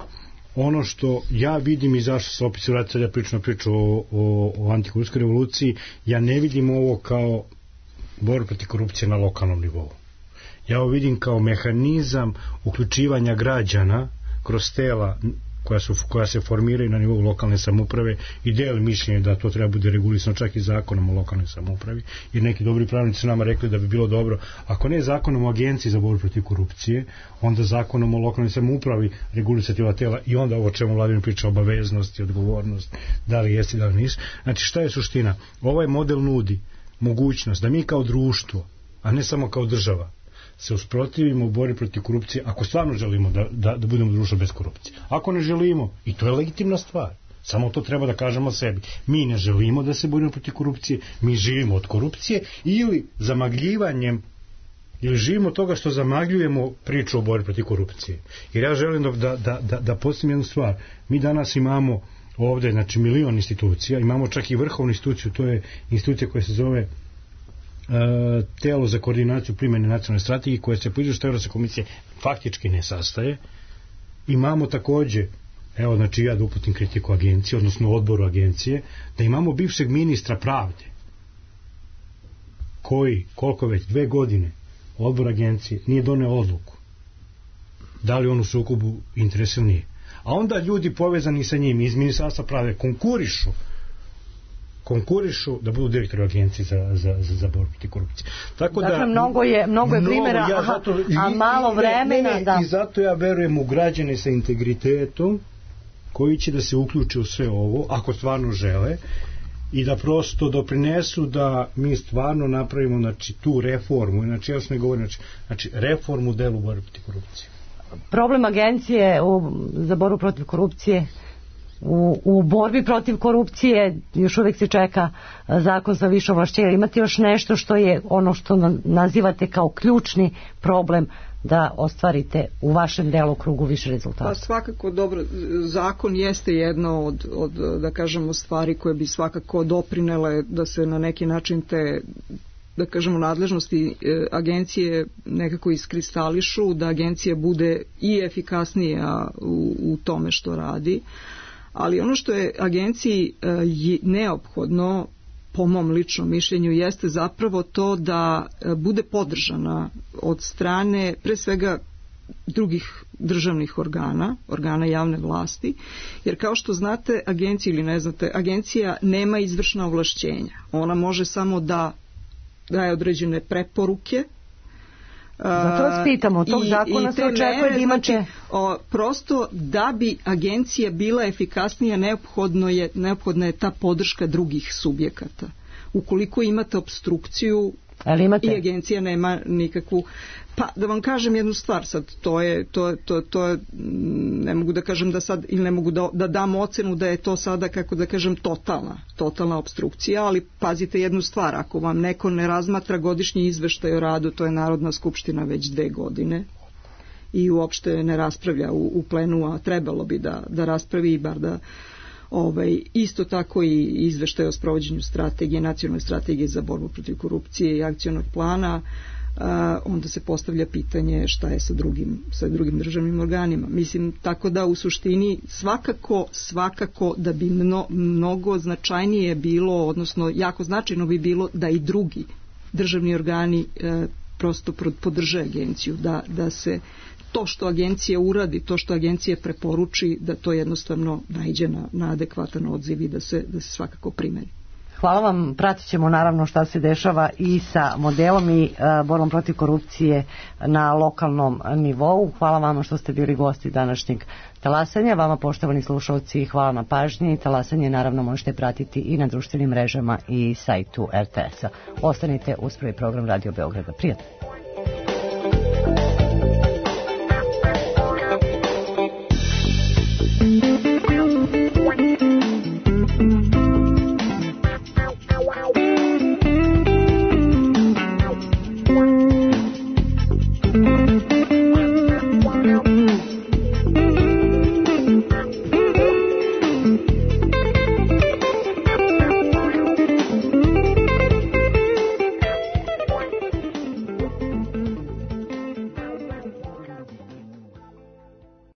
Ono što ja vidim i zašto se opet se vratiti da pričam priču o, o, o antikorupcijskoj revoluciji, ja ne vidim ovo kao borbu protiv korupcije na lokalnom nivou. Ja ovo vidim kao mehanizam uključivanja građana kroz tela koja, su, koja se formiraju na nivou lokalne samouprave i deli mišljenje da to treba bude regulisano čak i zakonom o lokalnoj samoupravi, jer neki dobri pravnici su nama rekli da bi bilo dobro, ako ne zakonom o agenciji za borbu protiv korupcije, onda zakonom o lokalnoj samoupravi regulisati ova tela i onda ovo čemu Vladimir priča, obaveznosti, odgovornost, da li jesi, da li nisi. Znači, šta je suština? Ovaj model nudi mogućnost da mi kao društvo, a ne samo kao država, se usprotivimo u borbi protiv korupcije ako stvarno želimo da, da, da budemo društvo bez korupcije. Ako ne želimo, i to je legitimna stvar, samo to treba da kažemo sebi, mi ne želimo da se borimo protiv korupcije, mi živimo od korupcije ili zamagljivanjem ili živimo od toga što zamagljujemo priču o borbi protiv korupcije. Jer ja želim da, da, da, da, da postavim jednu stvar. Mi danas imamo ovde, znači, milion institucija, imamo čak i vrhovnu instituciju, to je institucija koja se zove telo za koordinaciju primjene nacionalne strategije koje se po izveštaju Evropske komisije faktički ne sastaje. Imamo takođe, evo, znači ja da uputim kritiku agencije, odnosno odboru agencije, da imamo bivšeg ministra pravde koji, koliko već, dve godine odbor agencije nije doneo odluku da li on u sukobu interesa ili nije. A onda ljudi povezani sa njim iz Ministarstva pravde konkurišu konkurišu da budu direktori agencije za, za, za, za borbu protiv korupcije. Tako
dakle,
da,
mnogo je, mnogo je primjera,
ja zato,
a, a malo vremena.
Ne, ne,
da.
I zato ja verujem u građane sa integritetom koji će da se uključe u sve ovo, ako stvarno žele, i da prosto doprinesu da mi stvarno napravimo, znači, tu reformu, znači ja sam ne govorim, znači, znači reformu u delu borbe protiv korupcije.
Problem agencije u, za borbu protiv korupcije U, u borbi protiv korupcije još uvijek se čeka zakon za više ovlašćenja. Imate još nešto što je ono što nazivate kao ključni problem da ostvarite u vašem delokrugu više rezultata?
Pa svakako, dobro, zakon jeste jedno od, od, da kažemo, stvari koje bi svakako doprinele da se na neki način te, da kažemo, nadležnosti agencije nekako iskristališu, da agencija bude i efikasnija u, u tome što radi. Ali ono što je agenciji neophodno, po mom ličnom mišljenju, jeste zapravo to da bude podržana od strane pre svega drugih državnih organa, organa javne vlasti, jer kao što znate, agencija ili ne znate, agencija nema izvršna ovlašćenja. Ona može samo da daje određene preporuke.
Zato vas pitamo, od tog zakona se očekuje da imate...
Znači, o, prosto da bi agencija bila efikasnija, neophodno je, neophodna je ta podrška drugih subjekata. Ukoliko imate obstrukciju
imate?
I agencija nema nikakvu... Pa da vam kažem jednu stvar sad, to je, to, to, to je, ne mogu da kažem da sad, ili ne mogu da, da dam ocenu da je to sada, kako da kažem, totalna, totalna obstrukcija, ali pazite jednu stvar, ako vam neko ne razmatra godišnji izveštaj o radu, to je Narodna skupština već dve godine i uopšte ne raspravlja u, u plenu, a trebalo bi da, da raspravi i bar da ovaj, isto tako i izveštaj o sprovođenju strategije, nacionalne strategije za borbu protiv korupcije i akcionog plana. Uh, onda se postavlja pitanje šta je sa drugim, sa drugim državnim organima. Mislim, tako da u suštini svakako, svakako da bi mno, mnogo značajnije bilo, odnosno jako značajno bi bilo da i drugi državni organi uh, prosto podrže agenciju, da, da se to što agencija uradi, to što agencija preporuči, da to jednostavno naiđe na, na adekvatan odziv i da se, da se svakako primeni.
Hvala vam, pratit ćemo naravno šta se dešava i sa modelom i uh, borbom protiv korupcije na lokalnom nivou. Hvala vama što ste bili gosti današnjeg talasanja. Vama, poštovani slušalci, hvala na pažnji. Talasanje naravno možete pratiti i na društvenim mrežama i sajtu er te es-a. Ostanite uz prvi program Radio Beograda. Prijatno.